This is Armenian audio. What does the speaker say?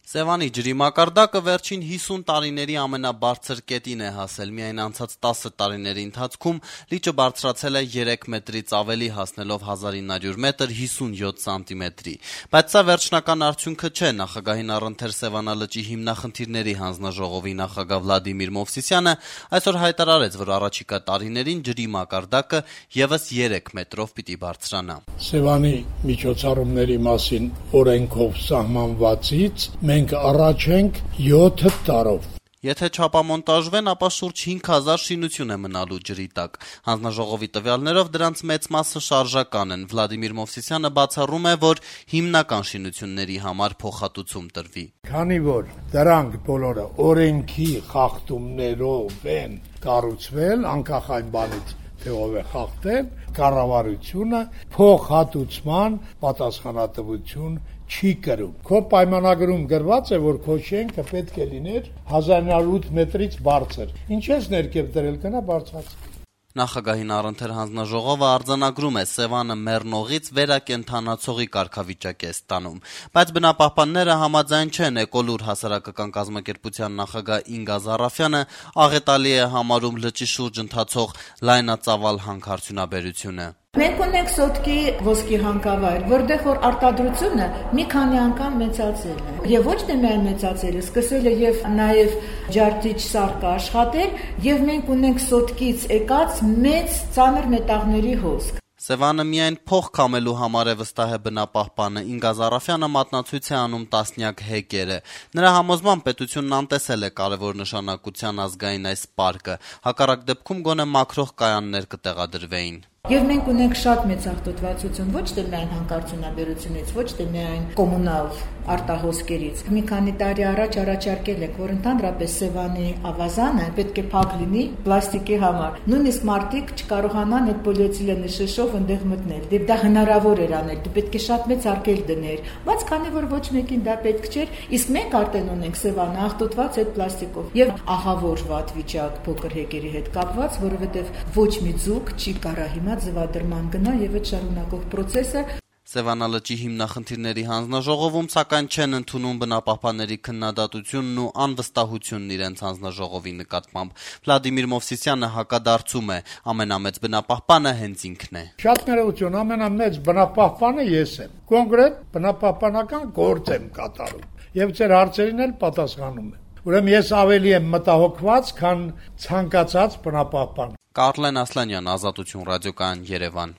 Սևանի ջրի մակարդակը վերջին 50 տարիների ամենաբարձր կետին է հասել, միայն անցած 10 տարիների ընթացքում լիճը բարձրացել է 3 մետրից ավելի, հասնելով 1900 մետր 57 սանտիմետրի, բայց սա վերջնական արդյունքը չէ, նախագահին առընթեր Սևանալճի հիմնախնդիրների հանձնաժողովի նախագահ Վլադիմիր Մովսիսյանը այսօր հայտարարեց, որ առաջիկա տարիներին ջրի մակարդակը ևս 3 մետրով պիտի բարձրանա։ Սևանի միջոցառումների մասին օրենքով սահմանվածից մենք առաջ ենք 7 տարով։ Եթե չապամոնտաժվեն, ապա շուրջ 5000 շինություն է մնալու ջրի տակ։ Հանձնաժողովի տվյալներով դրանց մեծ մասը շարժական են։ Վլադիմիր Մովսիսյանը բացառում է, որ հիմնական շինությունների համար փոխհատուցում տրվի։ Քանի որ դրանք բոլորը օրենքի խախտումներով են կառուցվել, անկախ այն բանից, թե ով է խախտել, կառավարությունը փոխհատուցման պատասխանատվություն չի կրում։ Քո պայմանագրում գրված է, որ քո շենքը պետք է լիներ 1908 մետրից բարձր։ Ինչ ես ներքև դրել, կնա բարձրացնի։ Նախագահին առընթեր հանձնաժողովը արձանագրում է Սևանը մեռնողից վերակենդանացողի կարգավիճակ է ստանում, բայց բնապահպանները համաձայն չեն։ Էկոլուր հասարակական կազմակերպության նախագահ Ինգա Զարաֆյանը աղետալի է համարում լճի շուրջ ընթացող լայնածավալ հանքարդյունաբերությունը։ Մենք ունենք Սոտկի ոսկի հանքավայր, որտեղ որ արտադրությունը մի քանի անգամ մեծացել է։ Եվ ոչ թե միայն մեծացել է, սկսել է եւ նաեւ ջարդիչ սարքը աշխատել, եւ մենք ունենք Սոտկից եկած մեծ ծանր մետաղների հոսք։ Սևանը միայն փող քամելու համար է, վստահ է բնապահպանը։ Ինգա Զարաֆյանը մատնացույց է անում տասնյակ հեկերը։ Նրա համոզմամբ պետությունն անտեսել է կարևոր նշանակության ազգային այս պարկը։ Հակառակ դեպքում գոնե մաքրող կայաններ կտեղադրվեին։ Եվ մենք ունենք շատ մեծ աղտոտվածություն, ոչ թե միայն հանքարդյունաբերությունից, ոչ թե միայն կոմունալ արտահոսքերից։ Մի քանի տարի առաջ առաջարկել եք, որ ընդհանրապես Սևանի ավազանը պետք է փակ լինի պլաստիկի համար։ Նույնիսկ մարդիկ չկարողանան այդ պոլիէթիլենի շշով ընդեղ մտնել։ Դե դա հնարավոր էր անել, դու պետք է շատ մեծ արգել դներ։ Բայց քանի որ ոչ մեկին դա պետք չէր, իսկ մենք արդեն ունենք Սևանը աղտոտված այդ պլաստիկով եւ ահավոր վատ վիճակ փոքր հեկերի հետ կապված, որովհետեւ ոչ մի ձուկ չի կարա հիմա ձվադրման գնա եւ այդ շարունակող process-ը։ Սևանալճի հիմնախնդիրների հանձնաժողովում սակայն չեն ընդունում բնապահպանների քննադատությունն ու անվստահությունն իրենց հանձնաժողովի նկատմամբ։ Վլադիմիր Մովսիսյանը հակադարձում է. ամենամեծ բնապահպանը հենց ինքն է։ Շատ ներողություն, ամենամեծ բնապահպանը ես եմ։ Կոնկրետ բնապահպանական գործ եմ կատարում եւ ձեր հարցերին էլ պատասխանում եմ։ Ուրեմն ես ավելի եմ մտահոգված, քան ցանկացած բնապահպան։ Կարլեն Ասլանյան, Ազատություն ռադիոկայան, Երևան։